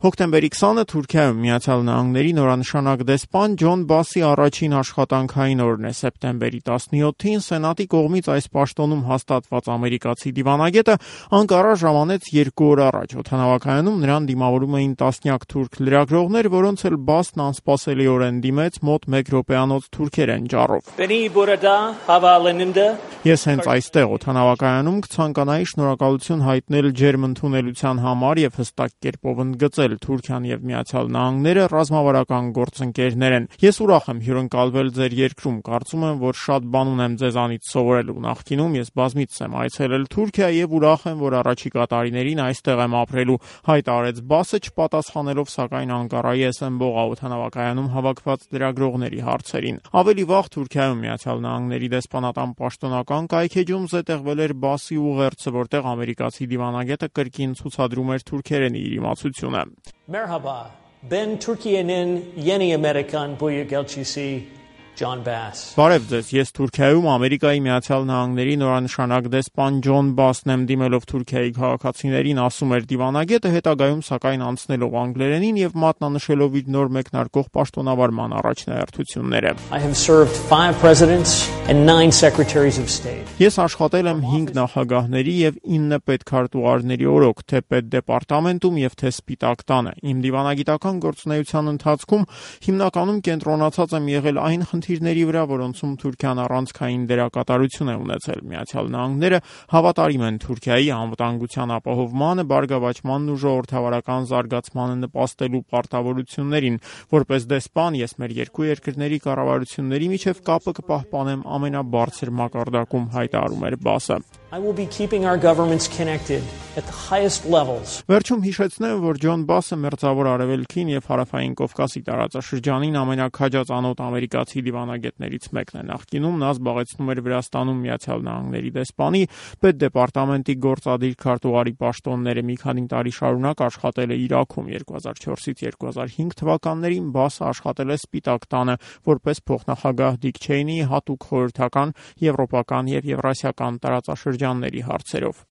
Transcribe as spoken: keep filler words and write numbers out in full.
Հոկտեմբերի քսանը Թուրքիայում Միացյալ Նահանգների նորանշանակ դեսպան Ջոն Բասի առաջին աշխատանքային օրն է։ Սեպտեմբերի տասնյոթին Սենատի կողմից այս պաշտոնում հաստատված ամերիկացի դիվանագետը Անկարա ժամանեց երկու օր առաջ։ Օդանավակայանում նրան դիմավորում էին տասնյակ թուրք լրագրողներ, որոնց էլ Բասն անսպասելիորեն դիմեց մոտ մեկ րոպեանոց թուրքերեն ջառով։ Ես հենց այստեղ օդանավակայանում կցանկանայի շնորհակալություն հայտնել ջերմ ընդունելության համար եւ հստակ կերպով ընդգծել Թուրքիան եւ Միացյալ Նահանգները ռազմավարական գործընկերներ են։ Ես ուրախ եմ հյուրընկալվել ձեր երկրում։ Կարծում եմ, որ շատ բան ունեմ ձեզանից սովորելու։ Նախկինում ես բազմիցս եմ այցելել Թուրքիա եւ ուրախ եմ, որ առաջիկա տարիներին այստեղ եմ ապրելու, հայտարարեց Բասը, չպատասխանելով սակայն Անկարայի էս էմ օդանավակայանում հավաքված լրագրողների հարցերին։ Ավելի վաղ Թուրքիայում Միացյալ Նահանգների դեսպանատան պաշտոնական կայքեջում զետեղվել էր Բասի ուղերձը, որտեղ ամերիկացի դիվանագետը կրկին ցուցադրում էր թուրքերենի իր իմացությունը։ Merhaba, ben Türkiye'nin yeni Amerikan Büyükelçisi John Bass. Բարև ձեզ, ես Թուրքիայում Ամերիկայի Միացյալ Նահանգների նորանշանակ դեսպան Ջոն Բասն եմ, դիմելով Թուրքիայի քաղաքացիներին, ասում էր դիվանագետը, հետագայում սակայն անցնելով անգլերենին եւ մատնանշելով իր նոր մեկնարկող պաշտոնավարման առաջնահերթությունները։ I have served five presidents and nine secretaries of state. Ես աշխատել եմ հինգ նախագահների եւ ինը պետքարտուղարների օրոք, թե պետդեպարտամենտում եւ թե Սպիտակ տանը։ Իմ դիվանագիտական գործունեության ընթացքում հիմնականում կենտրոնացած եմ եղել այն խնդիրների վրա, որոնցում Թուրքիան առանցքային դերակատարություն է ունեցել։ Միացյալ Նահանգները հավատարիմ են Թուրքիայի անվտանգության ապահովմանը, բարգավաճմանն ու ժողովրդավարական զարգացմանը նպաստելու պարտավորություններին։ Որպես դեսպան ես մեր երկու երկրների կառավարությունների միջև կապը կպահպանեմ ամենաբարձր մակարդակում, հայտարարում էր Բասը։ I will be keeping our governments connected at the highest levels. Վերջում հիշեցնեմ, որ Ջոն Բասը Մերձավոր Արևելքին եւ Հարավային Կովկասի տարածաշրջանին ամենակաջածանոթ ամերիկացի դիվանագետներից մեկն է։ Նախկինում նա զբաղեցնում էր Վրաստանում Միացյալ Նահանգների դեսպանի, պետդեպարտամենտի գործադիր քարտուղարի պաշտոնները։ Մի քանի տարի շարունակ աշխատել է Իրաքում։ երկու հազար չորսից երկու հազար հինգ թվականներին Բասը աշխատել է Սպիտակ տանը որպես փոխնախագահ Դիկ Չեյնիի հատուկ խորհրդական, եվրոպական եւ եվրասիական տարածաշրջանների հարցերով։